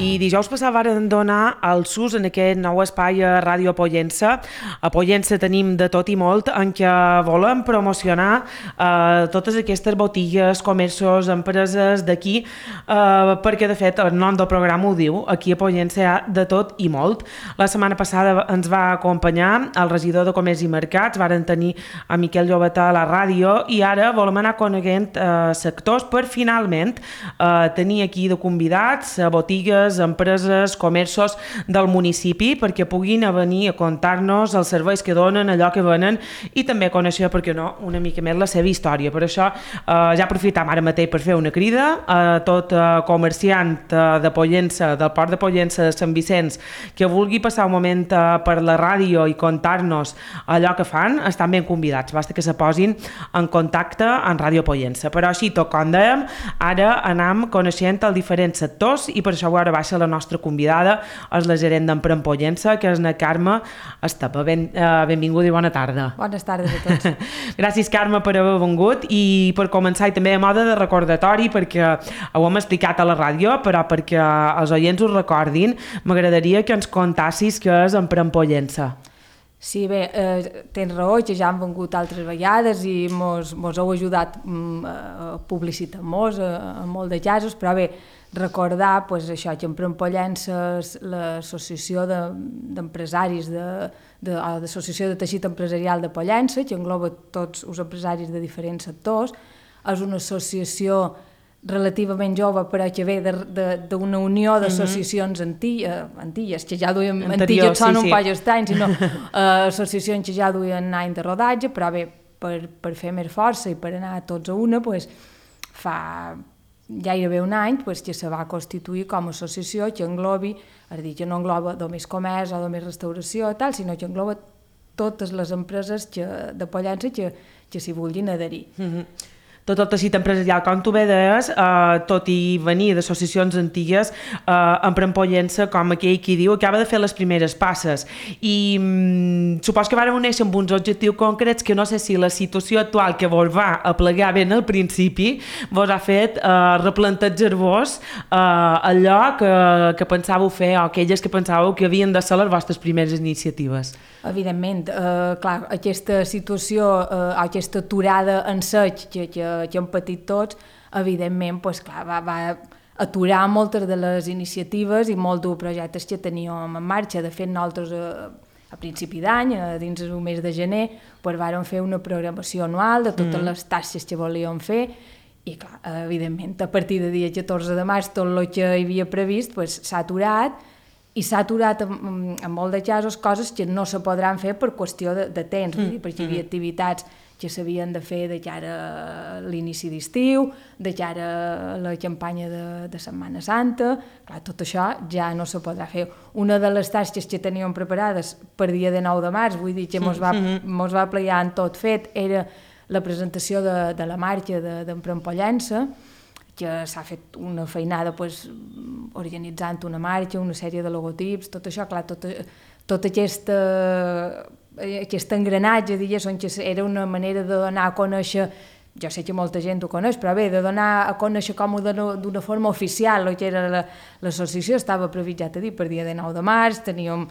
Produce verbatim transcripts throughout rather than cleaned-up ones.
I dijous passat varen donar el S U S en aquest nou espai a Ràdio Pollença. A Pollença tenim de tot i molt en què volem promocionar eh, totes aquestes botigues, comerços, empreses d'aquí, eh, perquè de fet el nom del programa ho diu, aquí a Pollença hi ha de tot i molt. La setmana passada ens va acompanyar el regidor de Comerç i Mercats, varen tenir a Miquel Llobetà a la ràdio i ara volem anar coneguent eh, sectors per finalment eh, tenir aquí de convidats a botigues, empreses, comerços del municipi perquè puguin venir a contar-nos els serveis que donen, allò que venen i també conèixer, perquè no, una mica més la seva història. Per això eh, ja aprofitam ara mateix per fer una crida a tot eh, comerciant eh, de Pollença, del Port de Pollença de Sant Vicenç, que vulgui passar un moment eh, per la ràdio i contar-nos allò que fan, estan ben convidats, basta que se posin en contacte en Ràdio Pollença. Però així, tot com dèiem, ara anem coneixent els diferents sectors i per això ara baixa la nostra convidada, és la gerent d'Emprèn Pollença, que és na Carme Estapa. Ben, eh, benvinguda i bona tarda. Bones tardes a tots. Gràcies, Carme, per haver vengut i per començar, i també a moda de recordatori, perquè ho hem explicat a la ràdio, però perquè els oients ho recordin, m'agradaria que ens contassis què és Emprèn Pollença. Sí, bé, eh, tens raó, que ja han vengut altres vegades i mos, mos heu ajudat mm, a publicitar-nos a, a molt de casos, però bé, recordar pues, això, que Emprèn Pollença és l'associació d'empresaris, de, de, l'associació de teixit empresarial de Pollença, que engloba tots els empresaris de diferents sectors, és una associació relativament jove, però que ve d'una unió d'associacions antilles, antilles, que ja duien, antilles són un poc estrany, sinó uh, associacions que ja duien any de rodatge, però bé, per, per fer més força i per anar tots a una, pues, fa gairebé un any pues, que se va constituir com a associació que englobi, és a dir, que no engloba només comerç o només restauració, tal, sinó que engloba totes les empreses que, de Pollença que, que s'hi vulguin adherir. Mm-hmm. Tot el teixit empresarial, com tu bé deies, eh, tot i venir d'associacions antigues, eh, Emprèn Pollença, com aquell qui diu, acaba de fer les primeres passes. I mm, supos que vàrem néixer amb uns objectius concrets que no sé si la situació actual que vos va aplegar ben al principi vos ha fet eh, replantejar-vos eh, allò que, que pensàveu fer o aquelles que pensàveu que havien de ser les vostres primeres iniciatives. Evidentment, eh, clar, aquesta situació, eh, aquesta aturada en sec que, que, que hem patit tots, evidentment, pues, clar, va, va aturar moltes de les iniciatives i molts dels projectes que teníem en marxa. De fet, nosaltres eh, a principi d'any, eh, dins el mes de gener, pues, vàrem fer una programació anual de totes mm. les tasques que volíem fer i, clar, evidentment, a partir del dia catorze de març tot el que hi havia previst pues, s'ha aturat i s'ha aturat en, en molt de casos coses que no se podran fer per qüestió de, de temps, mm. perquè hi havia activitats que s'havien de fer de cara a l'inici d'estiu, de cara a la campanya de, de Setmana Santa, clar, tot això ja no se podrà fer. Una de les tasques que teníem preparades per dia de nou de març, vull dir que mos va, mos va pleiar en tot fet, era la presentació de, de la marxa d'Emprèn Pollença, que s'ha fet una feinada pues, organitzant una marxa, una sèrie de logotips, tot això, clar, tot, tot aquesta, aquest engranatge, diguéssim, que era una manera de donar a conèixer, jo sé que molta gent ho coneix, però bé, de donar a conèixer com d'una forma oficial el que era l'associació, estava previst, ja t'he dit, per dia de nou de març, teníem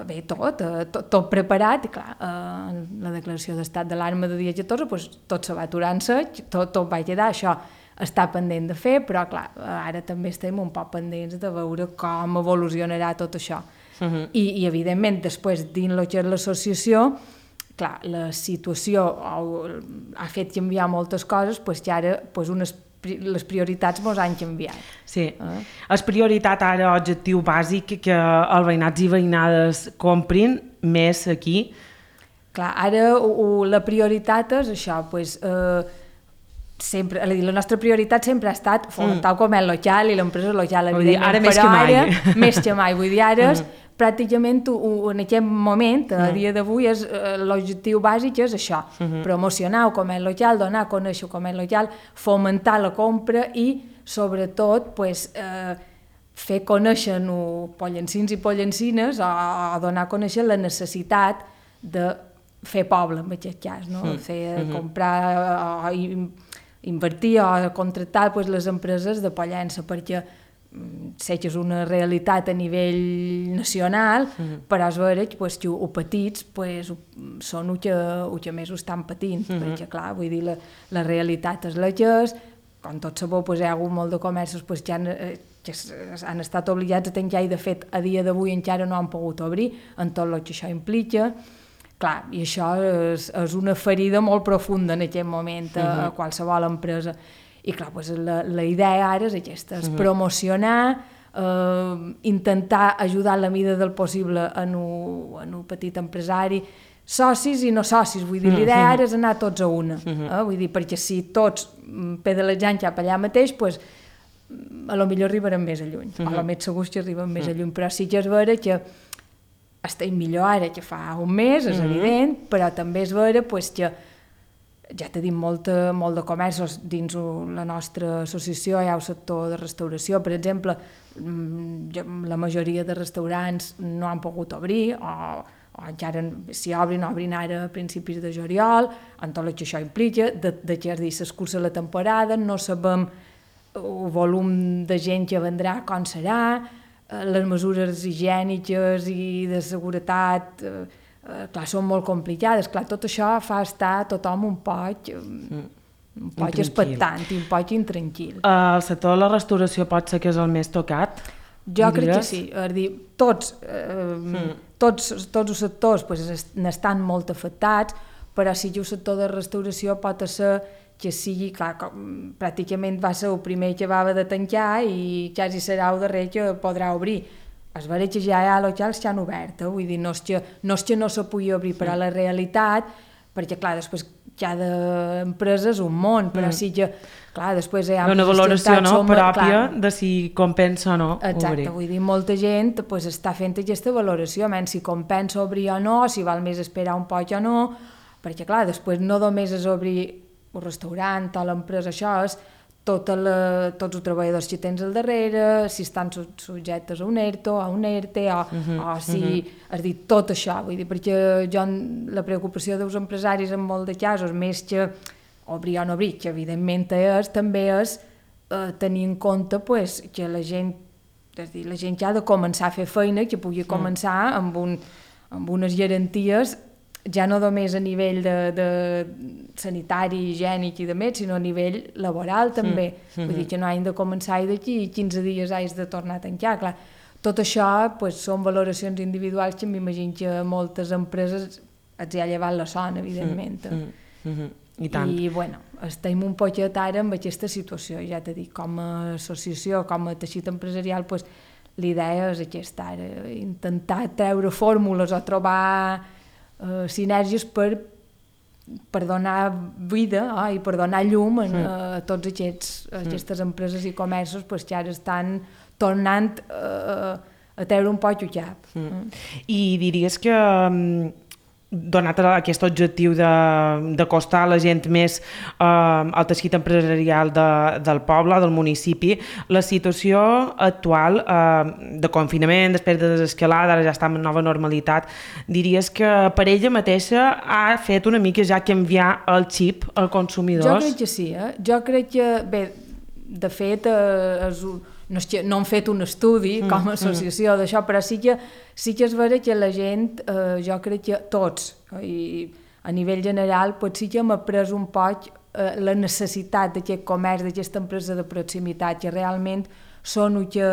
bé, tot, tot, tot preparat, i clar, eh, la declaració d'estat d'alarma de dia catorze, pues, tot se va aturar en sec, tot, tot va quedar, això està pendent de fer, però clar, ara també estem un poc pendents de veure com evolucionarà tot això. Uh-huh. I, I evidentment, després, dins el que és l'associació, clar, la situació ha fet canviar moltes coses, pues, que ara pues, unes, les prioritats mos han canviat. Sí, eh? És prioritat ara, objectiu bàsic, que els veïnats i veïnades comprin més aquí? Clar, ara o, la prioritat és això, pues, eh, sempre, la nostra prioritat sempre ha estat fomentar el comerç local i l'empresa local, evidentment, ara més però que mai. Ara, més que mai, vull dir, ara és, mm. pràcticament en aquest moment, a dia d'avui, l'objectiu bàsic és això, mm-hmm. promocionar el comerç local, donar a conèixer el comerç local, fomentar la compra i, sobretot, pues, eh, fer conèixer pollencins i pollencines o, o donar a conèixer la necessitat de fer poble, en aquest cas, no? Mm. fer mm-hmm. comprar o, o invertir o contractar pues, les empreses de Pollença, perquè sé que és una realitat a nivell nacional, mm. però és vera que pues, els petits pues, són els que, el que més ho estan patint, mm. perquè clar, vull dir, la, la realitat és la que és, com tots sabeu, pues, hi ha hagut molt de comerços pues, que, han, que han estat obligats a tancar i de fet a dia d'avui encara no han pogut obrir, en tot el que això implica. Clar, i això és, és una ferida molt profunda en aquest moment a, mm. a qualsevol empresa. I clar, doncs la, la idea ara és aquesta, és promocionar, eh, intentar ajudar la mida del possible en un, en un petit empresari, socis i no socis, vull dir, l'idea ara és anar tots a una, eh? Vull dir, perquè si tots pedalejant cap allà mateix, doncs, a lo millor arribarem més a lluny, uh -huh. a lo més segur que arribem més a lluny, però sí que és vera que estem millor ara que fa un mes, és uh -huh. evident, però també és vera pues, que ja tenim molt, molt de comerços dins la nostra associació, hi ha el sector de restauració, per exemple, la majoria de restaurants no han pogut obrir, o, o encara si obrin, obrin ara a principis de juliol, en tot el que això implica, de, de què es dir, s'escurça la temporada, no sabem el volum de gent que vendrà, com serà, les mesures higièniques i de seguretat, eh, Uh, clar, són molt complicades, clar, tot això fa estar tothom un poc, mm. un poc expectant i un poc intranquil. Uh, el sector de la restauració pot ser que és el més tocat? Jo crec que sí, és dir, tots, uh, mm. tots, tots els sectors pues, n'estan molt afectats, però sí que el sector de restauració pot ser que sigui, clar, com, pràcticament va ser el primer que va haver de tancar i quasi serà el darrer que podrà obrir. És vera que ja hi ha locals que han obert, eh? Vull dir, no és que no, és que no se pugui obrir, però la realitat, perquè clar, després cada empresa és un món, però mm. sí que, clar, després hi ha... Una valoració no, som, pròpia clar, de si compensa o no exacte, obrir. Vull dir, molta gent pues, està fent aquesta valoració, menys si compensa obrir o no, si val més esperar un poc o no, perquè clar, després no només és obrir un restaurant o l'empresa, això és Tota la, tots els treballadors que tens al darrere, si estan subjectes a un ERTO, a un ERTE, o, uh -huh, o si, uh -huh. és dir, tot això, vull dir, perquè jo, la preocupació dels empresaris en molt de casos, més que obrir o no obrir, que evidentment és, també és eh, tenir en compte pues, que la gent, és dir, la gent que ha de començar a fer feina, que pugui començar amb, un, amb unes garanties ja no només a nivell de, de sanitari, higiènic i de més, sinó a nivell laboral també. Mm. Vull dir que no hagin de començar i d'aquí quinze dies hagis de tornar a tancar. Clar, tot això pues, són valoracions individuals que m'imagino que moltes empreses els hi ha llevat la son, evidentment. Mm. Mm. Mm. I tant. I, bueno, estem un poquet ara amb aquesta situació, ja t'he dit, com a associació, com a teixit empresarial, pues, l'idea és aquesta, ara, intentar treure fórmules o trobar Uh, sinergies per, per donar vida oh, i per donar llum a, a tots aquests, a aquestes empreses i comerços pues, que ara estan tornant uh, a treure un poc el cap. Mm. Mm. I diries que um, donat aquest objectiu d'acostar a la gent més eh, al teixit empresarial de, del poble, del municipi, la situació actual eh, de confinament, després de desescalada, ara ja està en nova normalitat, diries que per ella mateixa ha fet una mica ja canviar el xip als consumidors? Jo crec que sí, eh? Jo crec que, bé, de fet, eh, és un no, és que no han fet un estudi mm, com a associació mm. d'això, però sí que, sí que és vera que la gent, eh, jo crec que tots, i a nivell general, pot sí que hem après un poc eh, la necessitat d'aquest comerç, d'aquesta empresa de proximitat, que realment són el que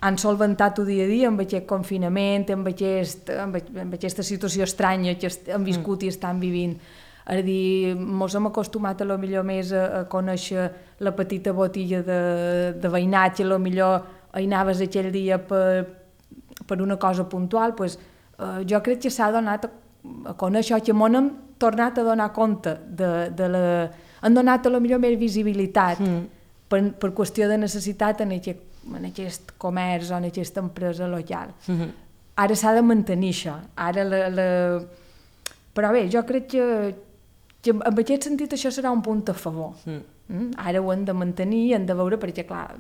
han solventat el dia a dia amb aquest confinament, amb, aquest, amb, amb aquesta situació estranya que han viscut mm. i estan vivint. És a dir, mos hem acostumat a lo millor més a, a conèixer la petita botilla de, de veïnatge, a lo millor hi anaves aquell dia per, per una cosa puntual, pues, eh, jo crec que s'ha donat a, a conèixer, que m'on hem tornat a donar compte de, de la... han donat a lo millor més visibilitat mm. per, per qüestió de necessitat en aquest, en aquest comerç o en aquesta empresa local. Mm-hmm. Ara s'ha de mantenir això. Ara la, la... Però bé, jo crec que que en aquest sentit això serà un punt a favor. Mm. Ara ho hem de mantenir, hem de veure, perquè clar,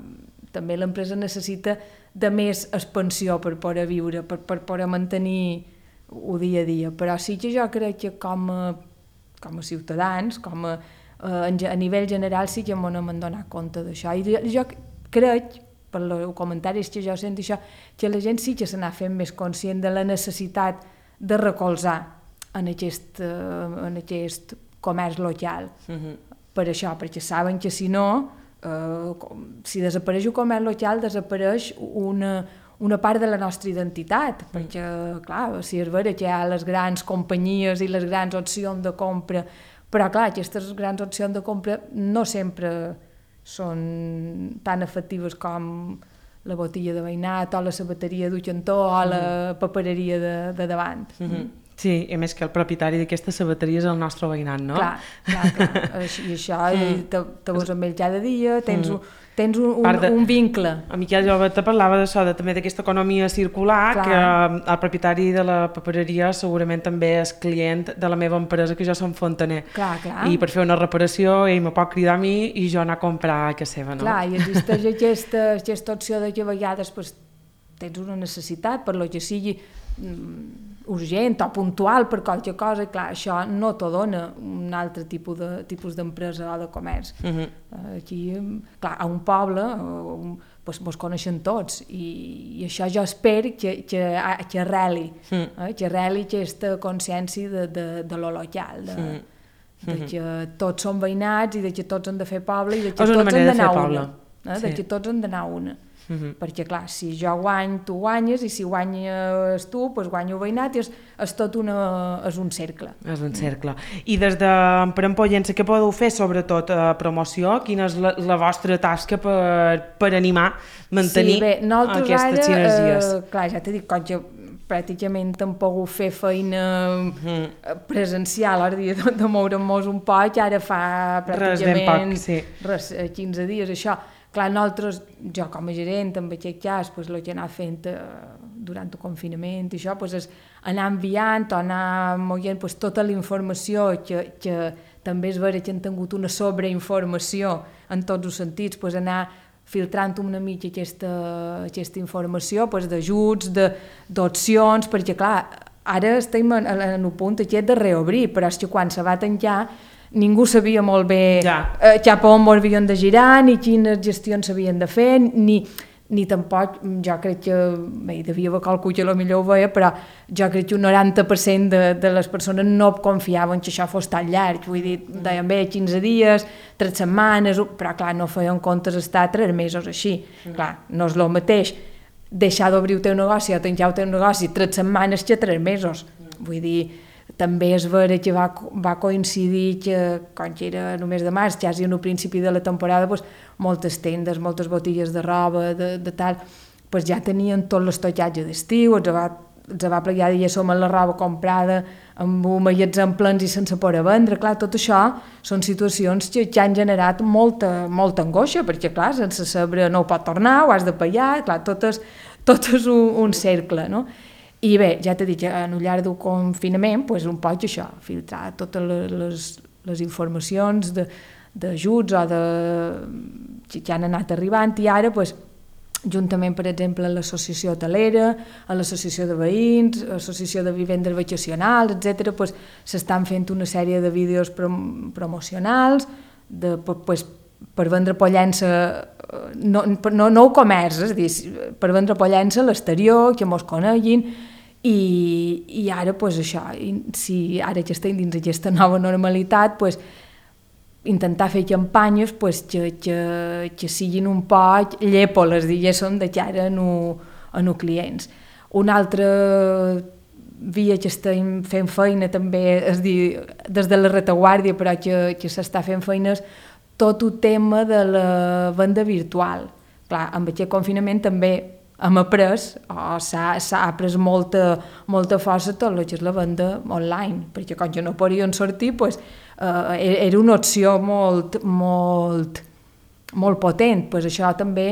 també l'empresa necessita de més expansió per poder viure, per, per poder mantenir el dia a dia, però sí que jo crec que com a, com a ciutadans, com a, a, a nivell general sí que m'ho hem donat compte d'això, i jo crec per els comentaris que jo sento això, que la gent sí que se n'ha fet més conscient de la necessitat de recolzar en aquest, en aquest comerç local. Uh-huh. Per això, perquè saben que si no, eh, si desapareix el comerç local, desapareix una una part de la nostra identitat, mm. perquè, clar, si és vera que hi ha les grans companyies i les grans opcions de compra, però, clar, aquestes grans opcions de compra no sempre són tan efectives com la botella de veïnat o la sabateria d'un cantó o la papereria de, de davant. Mm-hmm. Sí, i més que el propietari d'aquesta sabateria és el nostre veïnat, no? Clar, clar, clar. I això, mm. te, te veus amb ell cada dia, tens mm. un tens un, un, de, un vincle. A Miquel Jove te parlava d'això, de, també d'aquesta economia circular, clar. Que el propietari de la papereria segurament també és client de la meva empresa, que jo som fontaner. Clar, clar. I per fer una reparació ell me pot cridar a mi i jo anar a comprar a casa seva, no? Clar, i existeix aquesta, aquesta opció de que a vegades pues, tens una necessitat per lo que sigui urgent o puntual per qualque cosa, i clar, això no t'ho dona un altre tipus de tipus d'empresa o de comerç. Uh-huh. Aquí, clar, a un poble un, pues, mos coneixen tots i, i això jo espero que, que, que arreli, uh-huh. eh, que arreli aquesta consciència de, de, de lo local, de, uh-huh. de que tots som veïnats i de que tots han de fer poble i de que tots han d'anar a una. Eh, sí. De que tots han d'anar a una. Uh-huh. Perquè clar, si jo guany, tu guanyes, i si guanyes tu, doncs guanyo veïnat, i és, és tot una, és un cercle. És un cercle. I des de Emprèn Pollença, què podeu fer sobretot a promoció? Quina és la, la vostra tasca per, per animar, mantenir sí, bé, aquestes sinergies? Eh, clar, ja t'he dit, com que pràcticament hem pogut fer feina uh-huh. presencial, ara dia de, de moure'm-nos un poc, ara fa pràcticament res ben poc, sí. res, quinze dies, això. Clar, nosaltres, jo com a gerent, en aquest cas, pues, el que anava fent eh, durant el confinament i això, pues, és anar enviant o anar moient pues, tota la informació que, que també és vera que han tingut una sobreinformació en tots els sentits, pues, anar filtrant una mica aquesta, aquesta informació pues, d'ajuts, d'opcions, perquè clar, ara estem en, en el punt aquest de reobrir, però és que quan se va tancar ningú sabia molt bé ja. eh, cap on havien de girar, ni quines gestions s'havien de fer, ni, ni tampoc, jo crec que, bé, devia haver qualcú que potser ho veia, però jo crec que un noranta per cent de, de les persones no confiaven que això fos tan llarg, vull dir, deien bé, quinze dies, tres setmanes, però clar, no feien comptes estar tres mesos així, mm. clar, no és el mateix deixar d'obrir el teu negoci o tancar el teu negoci tres setmanes que tres mesos, mm. vull dir, també és vera que va, va coincidir que, quan que era només de març, quasi al principi de la temporada, pues, moltes tendes, moltes botigues de roba, de, de tal, pues, ja tenien tot l'estocatge d'estiu, els va, els va plegar ja som amb la roba comprada, amb un magatzem plens i sense poder vendre. Clar, tot això són situacions que, que han generat molta, molta angoixa, perquè clar, sense saber no ho pot tornar, ho has de pagar, clar, tot és, tot és un, un cercle, no? I bé, ja t'he dit que en el llarg del confinament, pues, un poc això, filtrar totes les, les informacions d'ajuts o de, que han anat arribant, i ara, pues, juntament, per exemple, a l'associació hotelera, a l'associació de veïns, a l'associació de vivendes vacacionals, etcètera, pues, s'estan fent una sèrie de vídeos prom promocionals de, pues, per vendre Pollença, no, no, no el comerç, és a dir, per vendre Pollença a l'exterior, que mos coneguin, i, i ara, pues, això, si ara que estem dins aquesta nova normalitat, pues, intentar fer campanyes pues, que, que, que siguin un poc llèpoles, diguéssim, de cara a els clients. Una altra via que estem fent feina també, és dir, des de la retaguardia, però que, que s'està fent feina, és tot el tema de la venda virtual. Clar, amb aquest confinament també hem après, o s'ha après molta, molta força tot el que és la venda online, perquè quan jo no podien sortir, pues, Uh, era una opció molt, molt, molt potent. Pues això també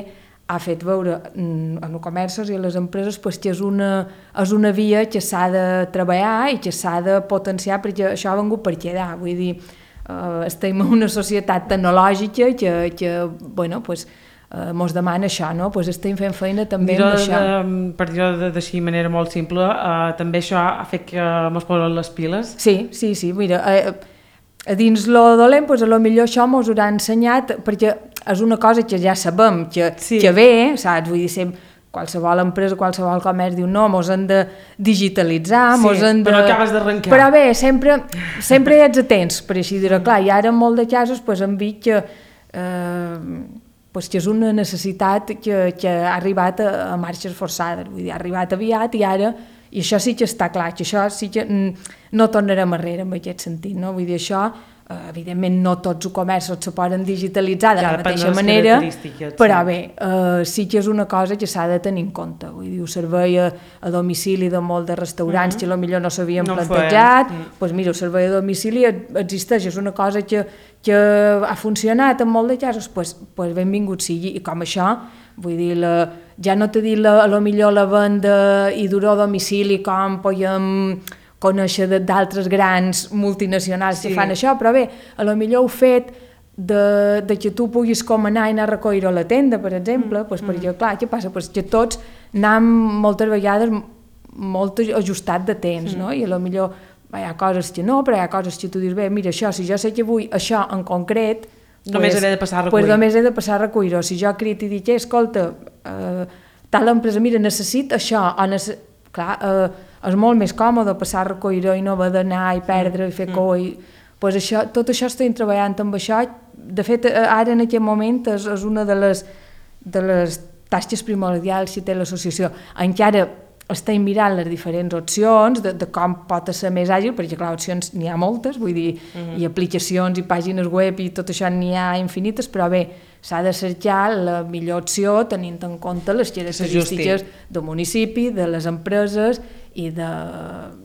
ha fet veure en els comerços i a les empreses pues, que és una, és una via que s'ha de treballar i que s'ha de potenciar, perquè això ha vengut per quedar. Vull dir, uh, estem en una societat tecnològica que, que bueno, pues, Uh, mos demana això, no? Pues estem fent feina també amb això. De, per dir-ho d'així de manera molt simple, uh, també això ha fet que mos posen les piles? Sí, sí, sí, mira, uh, a dins lo dolent, doncs, a lo millor això mos haurà ensenyat, perquè és una cosa que ja sabem, que, sí. que ve, saps? Vull dir, sempre, qualsevol empresa, qualsevol comerç diu no, mos hem de digitalitzar, sí, mos hem de... però acabes d'arrencar. Però bé, sempre, sempre hi ets atents, per així dir-ho. Clar, i ara en molt de casos pues, hem vist que, eh, pues, que és una necessitat que, que ha arribat a, a marxes forçades, vull dir, ha arribat aviat i ara, i això sí que està clar, que això sí que no tornarem arrere en aquest sentit, no? Vull dir, això, eh, evidentment no tots els comerços se poden digitalitzar de ja, la mateixa manera, però bé, eh, sí que és una cosa que s'ha de tenir en compte, vull dir, el servei a, a domicili de molts de restaurants mm -hmm. que potser no s'havien no plantejat, doncs pues mira, el servei a domicili existeix, és una cosa que, que ha funcionat en molt de casos, pues, pues benvingut sigui, i com això, vull dir, la, ja no t'he dit la, a lo millor la venda i dur a domicili com podem conèixer d'altres grans multinacionals sí. que fan això, però bé, a lo millor el fet de, de que tu puguis com anar i anar a recollir a la tenda, per exemple, mm. pues, perquè clar, què passa? Pues que tots anem moltes vegades molt ajustat de temps, mm. no? I a lo millor hi ha coses que no, però hi ha coses que tu dius, bé, mira, això, si jo sé que vull això en concret, només pues, he de passar a recollir. Pues només he de passar a recollir-ho. Si jo crit i dic, eh, escolta, eh, tal empresa, mira, necessita això, o necess... clar, eh, és molt més còmode passar a recollir-ho i no haver d'anar i perdre mm. i fer mm. cua. I... Pues això, tot això estem treballant amb això. De fet, ara en aquest moment és, és una de les, de les tasques primordials que té l'associació. Encara estem mirant les diferents opcions de, de com pot ser més àgil, perquè clar, opcions n'hi ha moltes, vull dir, mm-hmm. i aplicacions i pàgines web i tot això n'hi ha infinites, però bé, s'ha de cercar la millor opció tenint en compte les característiques del municipi, de les empreses i, de,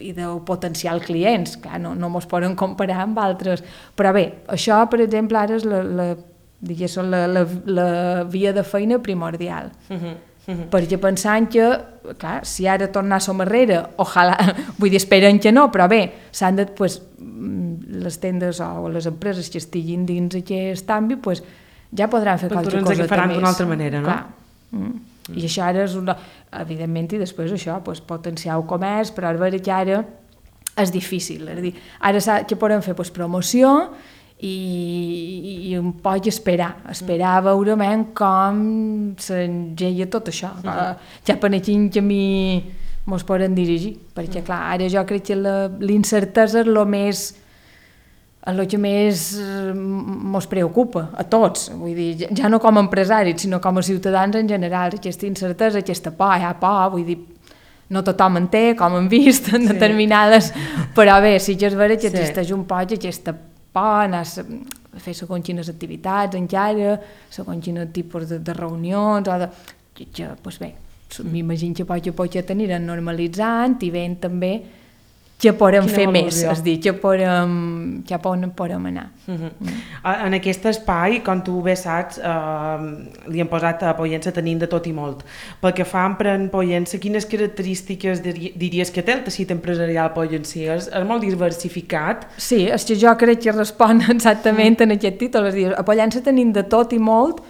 i del potencial clients. Clar, no, no mos poden comparar amb altres. Però bé, això, per exemple, ara és la, la, diguéssim, la, la, la via de feina primordial. Mm-hmm. Mm-hmm. Perquè pensant que, clar, si ara tornar som arrere, ojalà, vull dir, esperen que no, però bé, s'han de, pues, les tendes o les empreses que estiguin dins aquest àmbit, pues, ja podran fer qualque cosa que faran d'una altra manera, no? Clar. Mm. Mm. I això ara és una... Evidentment, i després això, pues, potenciar el comerç, però a veure que ara és difícil. És a dir, ara què podem fer? Pues, promoció i, i un poc esperar, esperar a veure com s'engeia tot això. Mm-hmm. Ja per quin camí mos poden dirigir, perquè clar, ara jo crec que l'incertesa és el més el que més mos preocupa a tots, vull dir, ja no com a empresaris, sinó com a ciutadans en general, aquesta incertesa, aquesta por, hi ha por, vull dir, no tothom en té, com hem vist en sí. determinades, però bé, sí que és vera que sí. existeix un poc aquesta por, anar a fer segons quines activitats encara, segons quin tipus de, de reunions, o de, que, que doncs bé, m'imagino que poc a poc ja t'aniran normalitzant i veient també que podem fer més, és dir, que podem, que podem anar. Uh-huh. Mm. En aquest espai, com tu bé saps, eh, li hem posat a Pollença tenint de tot i molt. Pel que fa a Empren Pollença, quines característiques diries que té el teixit empresarial pollencí? És, és molt diversificat? Sí, és que jo crec que respon exactament mm. en aquest títol, és dir, a Pollença tenim de tot i molt,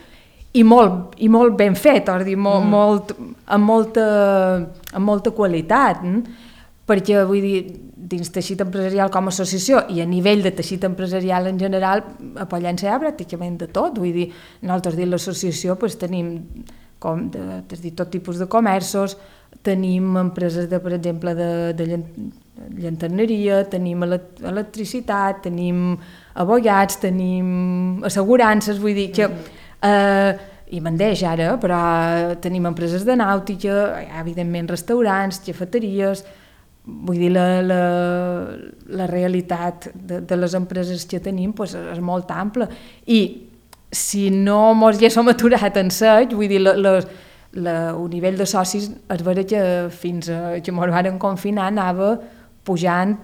i molt, i molt ben fet, és dir, molt, mm. molt, amb, molta, amb molta qualitat, eh? Perquè, vull dir, dins teixit empresarial com a associació i a nivell de teixit empresarial en general, a Pollença hi ha pràcticament de tot, vull dir, nosaltres dins l'associació pues, tenim com de, de tot tipus de comerços, tenim empreses, de, per exemple, de, de llanterneria, tenim electricitat, tenim abogats, tenim assegurances, vull dir que... Eh, i mandeix ara, però tenim empreses de nàutica, hi ha, evidentment, restaurants, cafeteries... Vull dir, la, la, la realitat de, de les empreses que tenim pues, és molt ampla. I si no mos ja som aturat en sec, vull dir, la, la, la, el nivell de socis és vera que fins a, que mos van confinar anava pujant,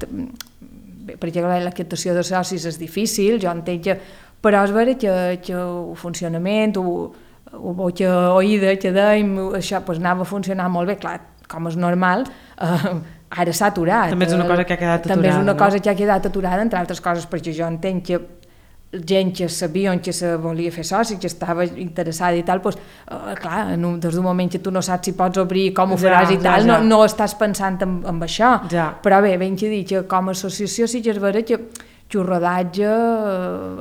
perquè la captació de socis és difícil, jo entenc que, però és vera que, que el funcionament, o, o boca oïda que dèiem, això pues, anava a funcionar molt bé, clar, com és normal, eh, ara s'ha aturat. També és una cosa que ha quedat aturada. També és una no? cosa que ha quedat aturada, entre altres coses, perquè jo entenc que gent que sabia que se volia fer soci, que estava interessada i tal, doncs, eh, clar, un, des d'un moment que tu no saps si pots obrir, com ho faràs ja, i tal, ja, ja. No, no estàs pensant en, en això. Ja. Però bé, ben que dir que com a associació sí que és vera que, rodatge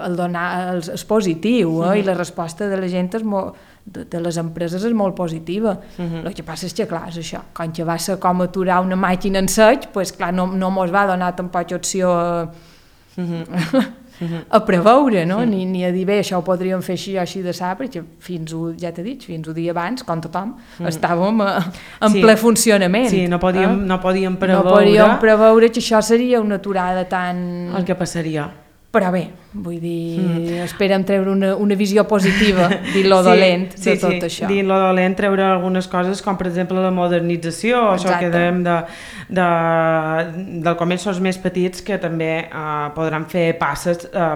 el donar, el, és positiu, eh? Uh-huh. I la resposta de la gent és molt, de, de les empreses és molt positiva. Uh-huh. El que passa és que, clar, és això, quan ja va ser com aturar una màquina en sec, pues, clar, no, no mos va donar tampoc opció a, uh-huh. a preveure, no? Uh-huh. ni, ni a dir, bé, això ho podríem fer així o així de sa, perquè fins, ja t'he dit, fins un dia abans, com tothom, uh-huh. estàvem a, en sí. ple funcionament. Sí, no podíem, eh? no podíem preveure... No podíem preveure que això seria una aturada tan... El que passaria. Però bé, vull dir, mm. esperem treure una, una visió positiva, dir lo sí, dolent de sí, tot sí. això. Dir lo dolent, treure algunes coses com per exemple la modernització, Exacte. Això que dèiem de, de, del comerços més petits que també eh, podran fer passes eh,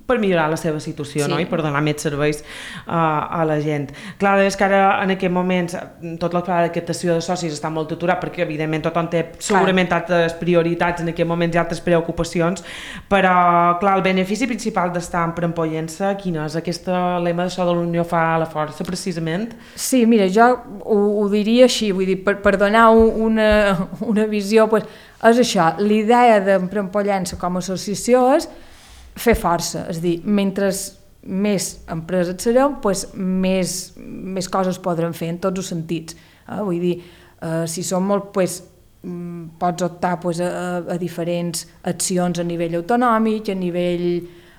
per millorar la seva situació, sí. no? I per donar més serveis eh, a la gent. Clar, és que ara en aquest moments tot el pla de captació de socis està molt aturat perquè evidentment tothom té segurament altres prioritats en aquest moment i altres preocupacions, però clar, el benefici principal d'estar en Prempollença, quin és? Aquest lema d'això de l'unió fa la força, precisament? Sí, mira, jo ho, ho diria així, vull dir, per, per donar una, una visió, pues, és això, l'idea de Prempollença com a associació és fer força, és a dir, mentre més empreses serem, pues, més, més coses podrem fer en tots els sentits. Eh? Vull dir, eh, si som molt... Pues, pots optar pues, a, a diferents accions a nivell autonòmic, a nivell,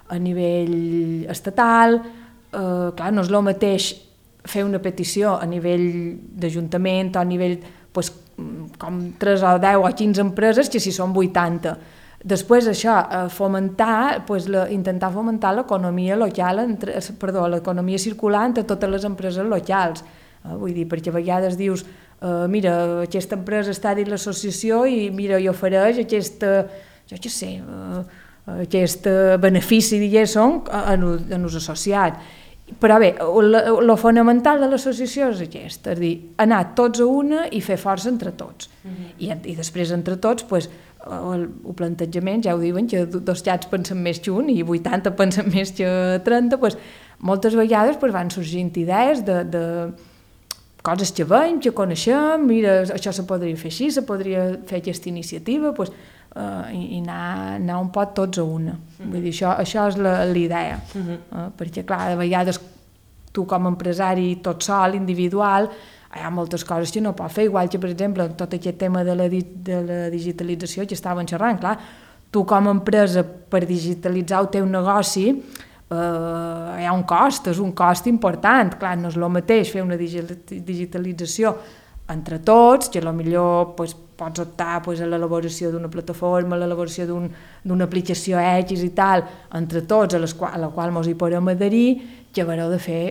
a nivell estatal, eh, clar, no és el mateix fer una petició a nivell d'ajuntament o a nivell pues, com tres o deu o quinze empreses que si són vuitanta. Després això, fomentar, pues, la, intentar fomentar l'economia local, entre, perdó, l'economia circular entre totes les empreses locals. Eh, vull dir, perquè a vegades dius Uh, mira, aquesta empresa està dins l'associació i mira, i ofereix aquesta, jo què sé, uh, aquest benefici, diguéssim, en els associats. Però bé, el fonamental de l'associació és aquest, és a dir, anar tots a una i fer força entre tots. Uh-huh. I, I després entre tots, pues, el, el plantejament, ja ho diuen, que dos xats pensen més que un i vuitanta pensen més que trenta, pues, moltes vegades pues, van sorgint idees de... de coses que veiem, que coneixem, mira, això se podria fer així, se podria fer aquesta iniciativa, pues, uh, i, i anar, anar un pot tots a una. Uh-huh. Vull dir, això, això és la, la idea, uh-huh. uh, perquè clar, de vegades tu com a empresari tot sol, individual, hi ha moltes coses que no pots fer, igual que, per exemple, tot aquest tema de la, di de la digitalització que estàvem xerrant, clar, tu com a empresa per digitalitzar el teu negoci Uh, hi ha un cost, és un cost important, clar, no és el mateix fer una digitalització entre tots, que potser pues, pots optar pues, a l'elaboració d'una plataforma, a l'elaboració d'una un, aplicació X i tal, entre tots, a, les qual, a la qual ens hi podem adherir, que haureu de fer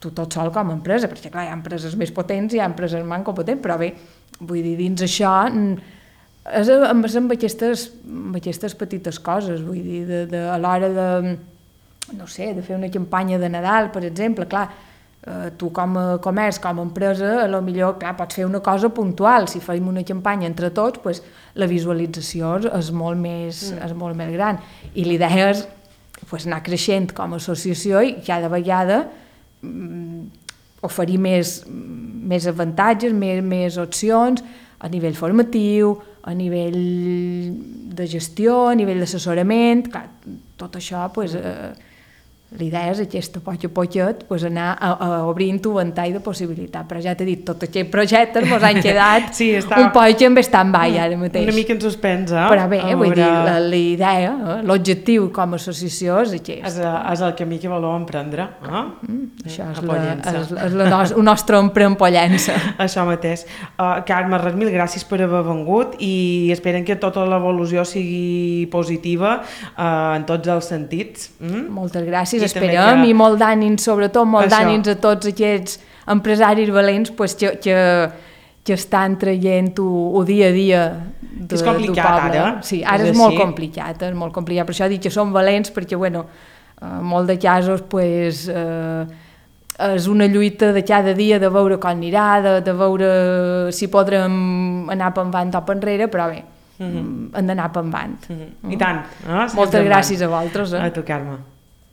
tu tot sol com a empresa, perquè clar, hi ha empreses més potents i hi ha empreses menys competents, però bé, vull dir, dins això és, és amb, aquestes, amb aquestes petites coses, vull dir, de, de, a l'hora de no sé, de fer una campanya de Nadal, per exemple, clar, eh, tu com a comerç, com a empresa, a lo millor, clar, pots fer una cosa puntual, si fem una campanya entre tots, pues, la visualització és molt més, mm. és molt més gran, i l'idea és pues, anar creixent com a associació i cada vegada mm, oferir més, més avantatges, més, més opcions a nivell formatiu, a nivell de gestió, a nivell d'assessorament, clar, tot això, pues, eh, l'idea és aquesta, a poc a poquet, pues, anar a, a obrint un ventall de possibilitats. Però ja t'he dit, tots aquests projectes ens han quedat sí, està... un poc en stand-by ara mateix. Una mica en suspens, eh? Però bé, vull dir, la, la idea, eh, l'objectiu com a associació és aquest. És, és el camí que voleu emprendre. Eh? Mm, això és, la, és, és la nos, el nostre Prempollença. Això mateix. Uh, Carme, res, mil gràcies per haver vengut i esperen que tota l'evolució sigui positiva uh, en tots els sentits. Mm? Moltes gràcies. Esperem, que... i molt d'ànims, sobretot molt d'ànims a tots aquests empresaris valents pues, que, que, que estan traient-ho el dia a dia de, és complicat ara. Sí, ara és, és molt complicat, és molt complicat. Per això dic que són valents, perquè, bueno, en molt de casos, pues, eh, és una lluita de cada dia de veure com anirà, de, de veure si podrem anar per endavant o per enrere, però bé, mm-hmm. hem d'anar per endavant. Mm-hmm. I tant. No? Moltes gràcies a vosaltres. Eh? A tu, Carme.